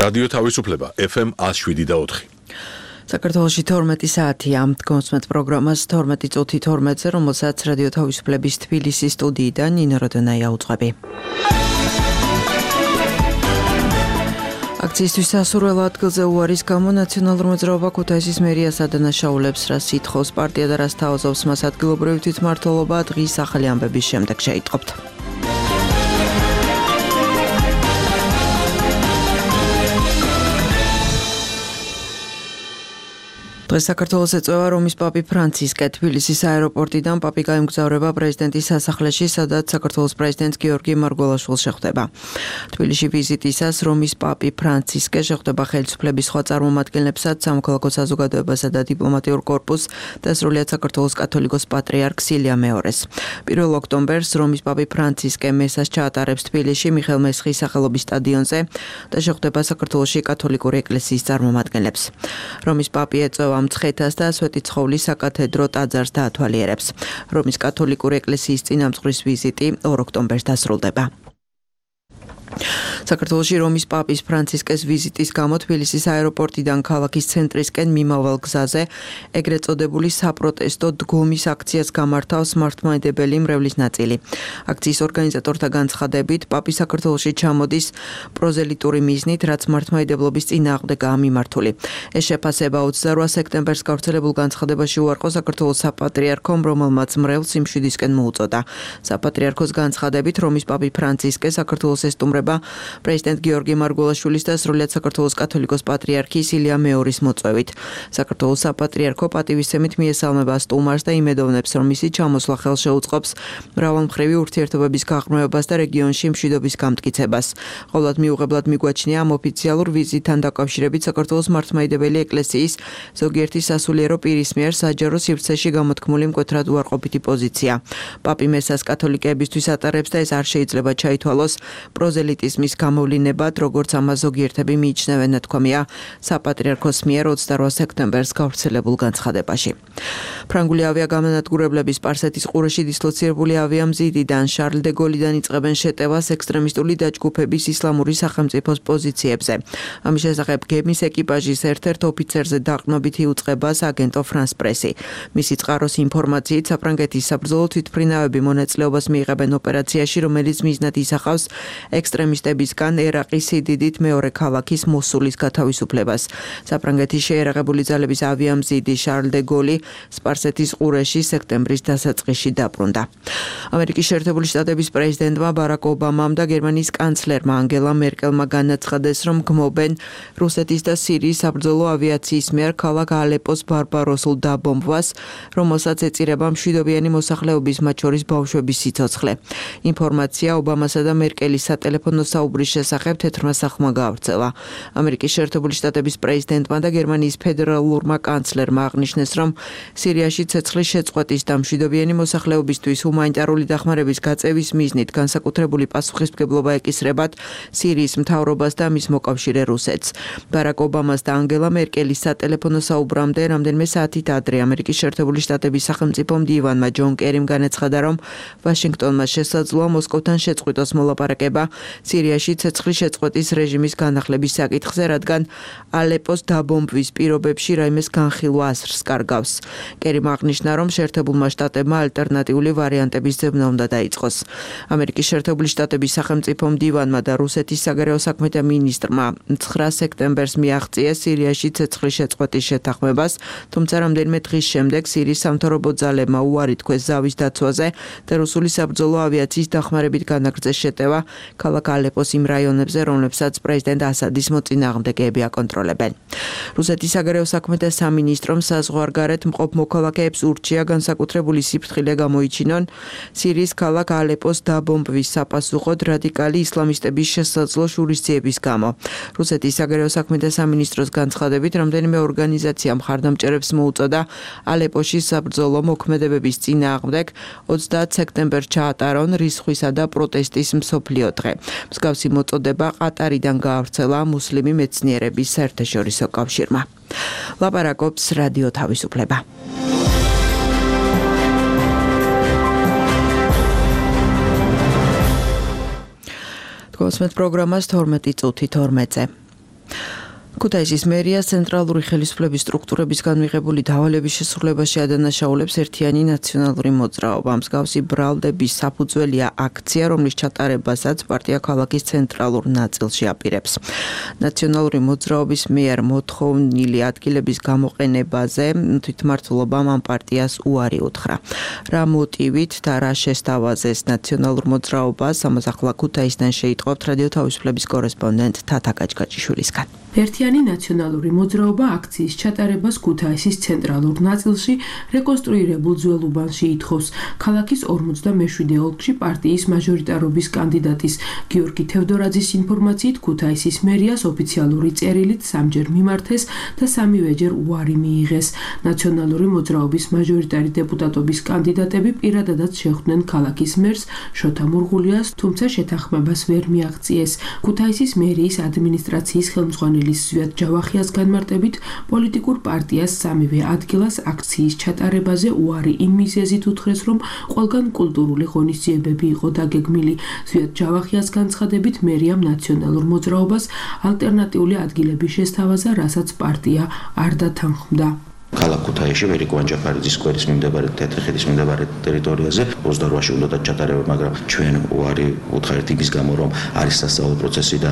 რადიო თავისუფლება FM 107.4. საქართველოში 12 საათია. გონსმეთ პროგრამას 12 წუთი 12-ზე, რომელსაც რადიო თავისუფლების თბილისის სტუდიიდან ნინო როდონაია უძღვები. აქციისთვის სასურველ ადგილზე უარის გამო ნაციონალურ მოძრაობა ქუთაისის მერიას ადანაშაულებს, რას ითხოვს პარტია და რას თავაზობს მას ადგილობრივი თვითმმართველობა, დღის ახალი ამბების შემდეგ შეიტყობთ. დღეს საქართველოს ეწევა რომის პაპი ფრანცისკე. თბილისის აეროპორტიდან პაპი გაემგზავრება პრეზიდენტის სასახლეში, სადაც საქართველოს პრეზიდენტ გიორგი მარგველაშვილს შეხვდება. თბილისში ვიზიტისას რომის პაპი ფრანცისკე შეხვდება ხელისუფლების სხვა წარმომადგენლებსაც, სამოქალაქო საზოგადოებასა და დიპლომატიურ კორპუსს და სრულიად საქართველოს კათოლიკოს პატრიარქს ილია მეორეს. 1 ოქტომბერს რომის პაპი ფრანცისკე მესას ჩაატარებს თბილისში მიხეილ მესხის სახელობის სტადიონზე და შეხვდება საქართველოში კათოლიკური ეკლესიის წარმომადგენლებს. რომის პაპი ეწევა მცხეთას და სვეტიცხოვლის საკათედრო ტაძარს დაათვალიერებს. რომის კათოლიკური ეკლესიის წინამძღვრის ვიზიტი 2 ოქტომბერს დასრულდება. საქართველოში რომის პაპის ფრანცისკეს ვიზიტის გამო თბილისის აეროპორტიდან ქალაქის ცენტრისკენ მიმავალ გზაზე ეგრეთ წოდებული საპროტესტო დგომის აქციას გამართავს მართლმადიდებელი მრევლის ნაწილი. აქციის ორგანიზატორთა განცხადებით, პაპი საქართველოში ჩამოდის პროზელიტური მიზნით, რაც მართლმადიდებლობის წინააღმდეგაა მიმართული. ეს შეფასება 28 სექტემბერს გავრცელებულ განცხადებაში უარყო საქართველოს საპატრიარქომ, რომელმაც მრევლს სიმშვიდისკენ მოუწოდა. საპატრიარქოს განცხადებით, რომის პაპი ფრანცისკე საქართველოს ესტუმრება პრეზიდენტ გიორგი მარგველაშვილის და სრულიად საქართველოს კათოლიკოს პატრიარქის ილია მეორის მოწვევით. საქართველოს საპატრიარქო პატივისცემით მიესალმება სტუმარს და იმედოვნებს, რომ მისი ჩამოსვლა ხელშეუწყობს მრავალმხრივი ურთიერთობების გაღრმავებას და რეგიონში მშვიდობის გამტკიცებას. ყოვლად მიუღებლად მიგვაჩნია ამ ოფიციალურ ვიზიტთან დაკავშირებით საქართველოს მართლმადიდებელი ეკლესიის ზოგიერთი სასულიერო პირის მიერ საჯარო სივრცეში გამოთქმული მკვეთრად უარყოფითი პოზიცია. პაპი მესას კათოლიკეებისთვის ატარებს და ეს არ შეიძლება ჩაითვალოს პროზელიტიზმის გამოვლინებად, როგორც ამას ზოგიერთები მიიჩნევენ, ნათქვამია საპატრიარქოს მიერ 28 სექტემბერს გავრცელებულ განცხადებაში. ფრანგული ავიაგამანადგურებლები სპარსეთის ყურეში დისლოცირებული ავიამზიდიდან შარლ დე გოლიდან იწყებენ შეტევას ექსტრემისტული დაჯგუფების ისლამური სახელმწიფოს პოზიციებზე. ამის შესახებ გემის ეკიპაჟის ერთ-ერთ ოფიცერზე დაყრდნობით იუწყებას აგენტო ფრანს პრესი. მისი წყაროს ინფორმაციით, საფრანგეთის საბრძოლო თვითმფრინავები მონაწილეობას მიიღებენ ოპერაციაში, რომელიც მიზნად ისახავს ექსტრემისტებისგან ერაყის სიდიდით მეორე ქალაქის მოსულის გათავისუფლებას. საფრანგეთის შეიარაღებული ძალების ავიამზიდი შარლ დე გოლი სპარსეთის ყურეში სექტემბრის დასაწყისში დაბრუნდა. ამერიკის შეერთებული შტატების პრეზიდენტმა ბარაკ ობამამ და გერმანიის კანცლერმა ანგელა მერკელმა განაცხადეს, რომ გმობენ რუსეთის და სირიის საბრძოლო ავიაციის მიერ ქალაქ ალეპოს ბარბაროსულ დაბომბვას, რომელსაც ეწირება მშვიდობიანი მოსახლეობის, მათ შორის ბავშვების სიცოცხლე. ინფორმაცია ობამასა და მერკელის სატელეფონო საუბრის შესახებ თეთრმა სახლმა გაავრცელა. ამერიკის შეერთებული შტატების პრეზიდენტმა და გერმანიის ფედერალურმა კანცლერმა აღნიშნეს, რომ სირიაში ცეცხლის შეწყვეტის და მშვიდობიანი მოსახლეობისთვის ჰუმანიტარული დახმარების გაწევის მიზნით განსაკუთრებული პასუხისმგებლობა ეკისრებათ სირიის მთავრობას და მის მოკავშირე რუსეთს. ბარაკ ობამას და ანგელა მერკელის სატელეფონო საუბრამდე რამდენიმე საათით ადრე ამერიკის შეერთებული შტატების სახელმწიფო მდივანმა ჯონ კერიმ განაცხადა, რომ ვაშინგტონმა შესაძლოა მოსკოვთან შეწყვიტოს მოლაპარაკება სირიაში ცეცხლის შეწყვეტის რეჟიმის განახლების საკითხზე, რადგან ალეპოს დაბომბვის პირობებში რაიმეს განხილვა ასრს კარგავს. კერიმ აღნიშნა, რომ შეერთებულმა შტატებმა ალტერნატიული ვარიანტების ძებნა უნდა დაიწყოს. ამერიკის შეერთებული შტატების სახელმწიფო მდივანმა და რუსეთის საგარეო საქმეთა მინისტრმა 9 სექტემბერს მიაღწიეს სირიაში ცეცხლის შეწყვეტის შეთანხმებას, თუმცა რამდენიმე დღის შემდეგ სირიის სამთავრობო ძალებმა უარი თქვეს ზავის დაცვაზე და რუსული საბრძოლო ავიაციის დახმარებით განაგრძეს შეტევა ქალაქ ალეპოს იმ რაიონებზე, რომლებსაც პრეზიდენტ ასადის მოწინააღმდეგეები აკონტროლებენ. რუსეთის საგარეო საქმეთა სამინისტრომ საზღვარგარეთ მყოფ მოქალაქეებს ურჩია განსაკუთრებული სიფრთხილე გამოიჩინონ სირიის ქალაქ ალეპოს დაბომბვის საპასუხოდ რადიკალი ისლამისტების შესაძლო შურისძიების გამო. რუსეთის საგარეო საქმეთა სამინისტროს განცხადებით, რამდენიმე ორგანიზაცია მხარდამჭერებს მოუწოდა ალეპოში საბრძოლო მოქმედებების წინააღმდეგ 30 სექტემბერს ჩაატარონ რისხვისა და პროტესტის მსოფლიო დღე. მსგავსი მოწოდება ყატარიდან გაავრცელა მუსლიმი მეცნიერების საერთაშორისო კავშირმა. ლაპარაკობს რადიო თავისუფლება. გოსმეთ პროგრამას 12 წუთი 12-ზე. ქუთაისის მერიას ცენტრალური ხელისუფლების სტრუქტურებისგან მიღებული დავალების შესრულებაში ადანაშაულებს ერთიანი ნაციონალური მოძრაობა. მსგავსი ბრალდების საფუძველია აქცია, რომლის ჩატარებასაც პარტია ქალაქის ცენტრალურ ნაწილში აპირებს. ნაციონალური მოძრაობის მიერ მოთხოვნილი ადგილების გამოყენებაზე თვითმმართველობამ ამ პარტიას უარი უთხრა. რა მოტივით და რა შესთავაზეს ნაციონალურ მოძრაობას, ამას ახლა ქუთაისიდან შეიტყობთ რადიო თავისუფლების კორესპონდენტ თათა გაჭგაჭიშვილისგან. ერთიანი ნაციონალური მოძრაობა აქციის ჩატარებას ქუთაისის ცენტრალურ ნაწილში რეკონსტრუირებულ ძველ უბანში ითხოვს. ქალაქის 47 ოლქში პარტიის მაჟორიტარობის კანდიდატის გიორგი თევდორაძის ინფორმაციით ქუთაისის მერიას ოფიციალური წერილით სამჯერ მიმართეს და სამივეჯერ უარი მიიღეს. ნაციონალური მოძრაობის მაჟორიტარი დეპუტატობის კანდიდატები პირადადაც შეხვდნენ ქალაქის მერს შოთა მურღულიას, თუმცა შეთანხმებას ვერ მიაღწიეს. ქუთაისის მერიის ადმინისტრაციის ხელმძღვანელი სვიად ჯავახიას განმარტებით პოლიტიკურ პარტიას სამივე ადგილას აქციის ჩატარებაზე უარი იმ მიზეზით უთხრეს, რომ ყველგან კულტურული ღონისძიებები იყო დაგეგმილი. სვიად ჯავახიას განცხადებით მერიამ ნაციონალურ მოძრაობას ალტერნატიული ადგილების შესთავაზა, რასაც პარტია არ დათანხმდა. ქალაქ ქუთაისში ვერიკო ანჯაფარიძის სკვერის მიმდებარე თეთრხეთის მიმდებარე ტერიტორიაზე 28-ში უნდა ჩატარება, მაგრამ ჩვენ უარი უთხრეთ იმის გამო, რომ არის სასწავლო პროცესი და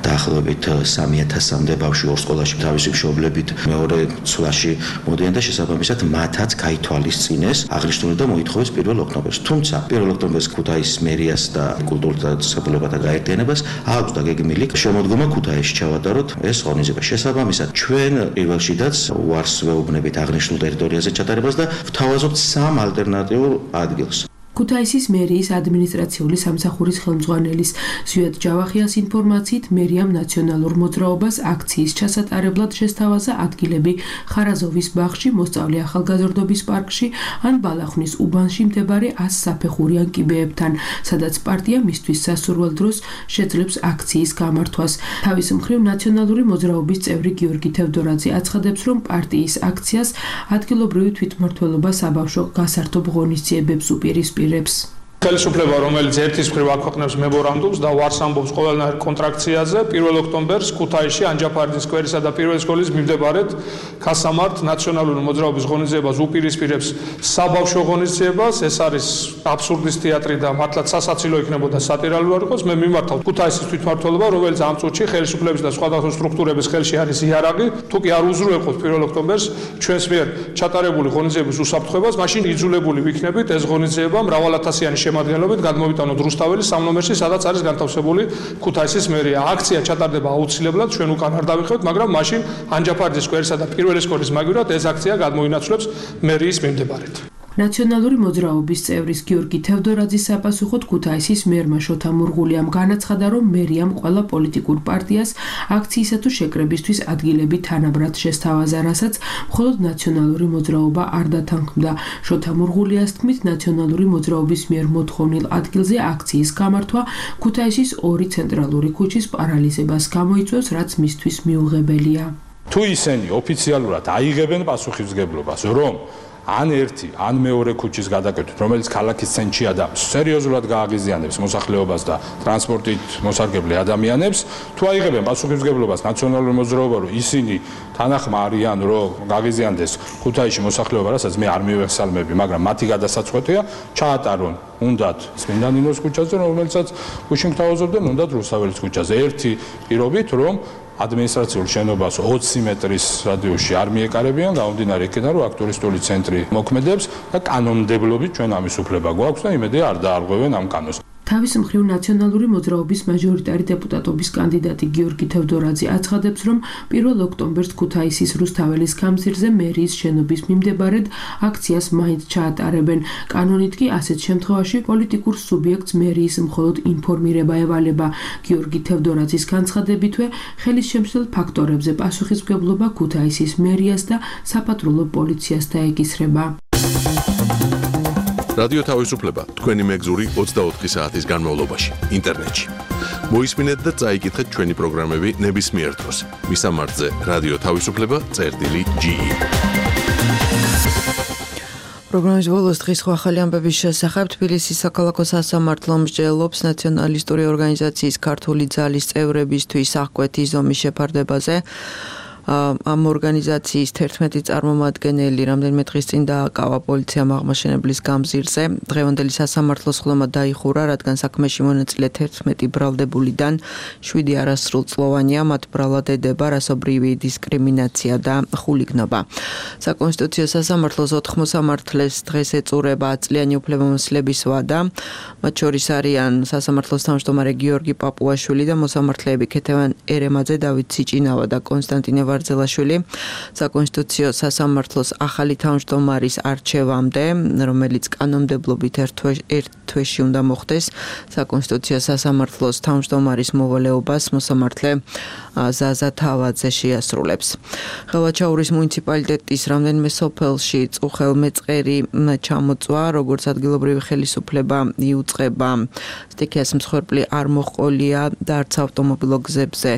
დაახლოებით 3000-მდე ბავშვი ორ სკოლაში თავისი მშობლებით მეორე ცვლაში მოდიან და შესაბამისად მათაც გაითვალისწინეს აღნიშნული და მოითხოვეს 1 ოქტომბერს. თუმცა 1 ოქტომბერს ქუთაისის მერიას და კულტურთა საბჭოთა გაერთიანებას აქვს დაგეგმილი შემოდგომა ქუთაისში ჩავატაროთ ეს ღონისძიება. შესაბამისად ჩვენ პირველშიდაც უარს ვეუბნებით აღნიშნულ ტერიტორიაზე ჩატარებას და ვთავაზობთ 3 ალტერნატიულ ადგილს. ქუთაისის მერიის ადმინისტრაციული სამსახურის ხელმძღვანელის სვიად ჯავახიას ინფორმაციით მერიამ ნაციონალურ მოძრაობას აქციის ჩასატარებლად შესთავაზა ადგილები ხარაზოვის ბაღში, მოსწავლე ახალგაზრდობის პარკში ან ბალახნის უბანში მდებარე 100 საფეხურიან კიბეებთან, სადაც პარტია მისთვის სასურველ დროს შეძლებს აქციის გამართვას. თავის მხრივ ნაციონალური მოძრაობის წევრი გიორგი თევდორაძე აცხადებს, რომ პარტიის აქციას ადგილობრივი თვითმმართველობა საბავშვო გასართობ ღონისძიებებს უპირისპირებს. ხელისუფლება, რომელიც ერთის მხრივ აქვეყნებს მემორანდუმს და უარს ამბობს ყველანაირ კონტრაქციაზე, 1 ოქტომბერს ქუთაისში ანჯაფარიძის სკვერისა და პირველი სკოლის მიმდებარედ გასამართ ნაციონალური მოძრაობის ღონისძიებას უპირისპირებს საბავშვო ღონისძიებას. ეს არის აბსურდის თეატრი და მართლაც სასაცილო იქნებოდა სატირალი არ იყოს. მე მიმართავ ქუთაისის თვითმმართველობა, რომელიც ამ წუთში ხელისუფლების და სხვადასხვა სტრუქტურების ხელში არის იარაღი. თუ კი არ უზრუნველყოფთ 1 ოქტომბერს ჩვენს მიერ ჩატარებული ღონისძიების უსაფრთხოებას, მაშინ იძულებული ვიქნებით ეს ღონისძიება მრავალათასიანი შემადგენლობით გადმოვიტანოთ რუსთაველის 3 ნომერში, სადაც არის განთავსებული ქუთაისის მერია. აქცია ჩატარდება აუცილებლად, ჩვენ უკან არ დავიხევთ, მაგრამ მაშინ ანჯაფარიძის სკვერისა და პირველი სკოლის მაგივრად ეს აქცია გადმოინაცვლებს მერიის მიმდებარედ. ნაციონალური მოძრაობის წევრის გიორგი თევდორაძის საპასუხოდ ქუთაისის მერმა შოთა მურღულიამ განაცხადა, რომ მერიამ ყველა პოლიტიკურ პარტიას აქციისა თუ შეკრებისთვის ადგილები თანაბრად შესთავაზა, რასაც მხოლოდ ნაციონალური მოძრაობა არ დათანხმდა. შოთა მურღულიას თქმით, ნაციონალური მოძრაობის მიერ მოთხოვნილ ადგილზე აქციის გამართვა ქუთაისის 2 ცენტრალური ქუჩის პარალიზებას გამოიწვევს, რაც მისთვის მიუღებელია. თუ ისინი ოფიციალურად აიღებენ პასუხისმგებლობას, რომ ან ერთი, ან მეორე ქუჩის გადაკეთვით, რომელიც ქალაქის ცენტრში სერიოზულად გააღიზიანებს მოსახლეობას და ტრანსპორტით მოსარგებლე ადამიანებს, თუ აიღებენ პასუხისმგებლობას ნაციონალური მოძრაობა, რომ ისინი თანახმა არიან, რომ გააღიზიანდეს ქუთაისში მოსახლეობა, რასაც მე არ მივეხსალმები, მაგრამ მათი გადასაწყვეტია, ჩაატარონ უნდათ წმინდა ნინოს ქუჩაზე, რომელსაც გუშინ გთავაზობდნენ, უნდათ რუსთაველის ქუჩაზე. ერთი პირობით, რომ ადმინისტრაციულ შენობას 20 მეტრის რადიუსში არ მიეკარებიან, გამომდინარე იქიდან, რომ აქ ტურისტული ცენტრი მოქმედებს და კანონმდებლობით ჩვენ ამის უფლება გვაქვს და იმედია არ დაარღვევენ ამ კანონს. თავის მხრივ ნაციონალური მოძრაობის მაჟორიტარი დეპუტატობის კანდიდატი გიორგი თევდორაძე აცხადებს, რომ 1 ოქტომბერს ქუთაისის რუსთაველის გამზირზე მერიის შენობის მიმდებარედ აქციას მაინც ჩაატარებენ. კანონით კი ასეთ შემთხვევაში პოლიტიკურ სუბიექტს მერიის მხოლოდ ინფორმირება ევალება. გიორგი თევდორაძის განცხადებითვე ხელის შემცვლელ ფაქტორებზე პასუხისმგებლობა ქუთაისის მერიას და საფატრულო პოლიციას დაეკისრება. რადიო თავისუფლება თქვენი მეგზური 24 საათის განმავლობაში ინტერნეტში. მოისმინეთ და წაიკითხეთ ჩვენი პროგრამები ნებისმიერ დროს. მისამართზე რადიო თავისუფლება.ge პროგრამის ბოლოს დღის ახალი ამბების შესახებ თბილისის საქალაქო სასამართლო მსჯელობს ნაციონალისტური ორგანიზაციის ქართული ძალის წევრებისთვის აღკვეთი ზომის შეფარდებაზე. Am ორგანიზაციის 11 წარმომადგენელი რამდენიმე დღის წინ დააკავა პოლიციამ აღმაშენებლის გამზირზე. დღევანდელი სასამართლოს ხდომა დაიხურა, რადგან საქმეში მონაწილე 11 ბრალდებულიდან 7 არასრულწლოვანია, მათ ბრალად ედება რასობრივი დისკრიმინაცია და ხულიგნობა. საკონსტიტუციო სასამართლოს 4 მოსამართლეს დღეს ეწურება წლიანი უფლებამოსილების ვადა. მათ შორის არიან სასამართლოს თავმჯდომარე გიორგი პაპუაშვილი და მოსამართლეები ქეთევან ერემაძე, დავით სიჭინავა და კონსტანტინე ვარძელაშვილი. საკონსტიტუციო სასამართლოს ახალი თავმჯდომარის არჩევამდე, რომელიც კანონმდებლობით ერთ თვეში უნდა მოხდეს, საკონსტიტუციო სასამართლოს თავმჯდომარის მოვალეობას მოსამართლე ზაზა თავაძე შეასრულებს. ხელვაჩაურის მუნიციპალიტეტის რამდენიმე სოფელში წუხელმეწყერი ჩამოწვა, როგორც ადგილობრივი ხელისუფლება იუწყება სტიქიას მსხვერპლი არ მოჰყოლია და არც ავტომობილო გზებზე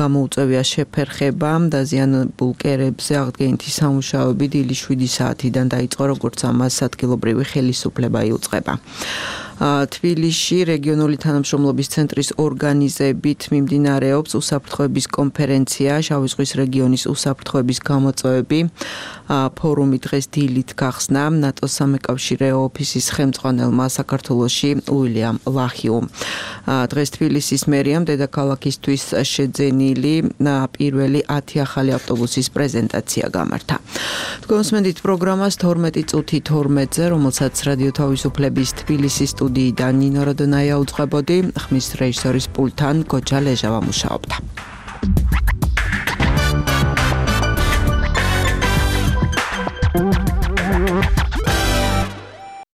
გამოუწევია შეფერხება. დაზიანებულ კერებზე აღდგენითი სამუშაოები დილის 7 საათიდან დაიწყო, როგორც ამას ადგილობრივი ხელისუფლება იუწყება. თბილისში რეგიონული თანამშრომლობის ცენტრის ორგანიზებით მიმდინარეობს უსაფრთხოების კონფერენცია შავი ზღვის რეგიონის უსაფრთხოების გამოწვევები. ფორუმი დღეს დილით გახსნა ნატოს სამეკავშირეო ოფისის ხელმძღვანელმა საქართველოში უილიამ ლახიუმ. დღეს თბილისის მერიამ დედაქალაქისთვის შეძენილი პირველი 10 ახალი ავტობუსის პრეზენტაცია გამართა. თქვენსმენდით პროგრამას 12 წუთი 12-ზე, რომელსაც რადიო თავისუფლების თბილისის სტუდიიდან ნინო როდონაია უძღვებოდი, ხმის რეჟისორის პულტთან გოჯა ლეჟავა მუშაობდა.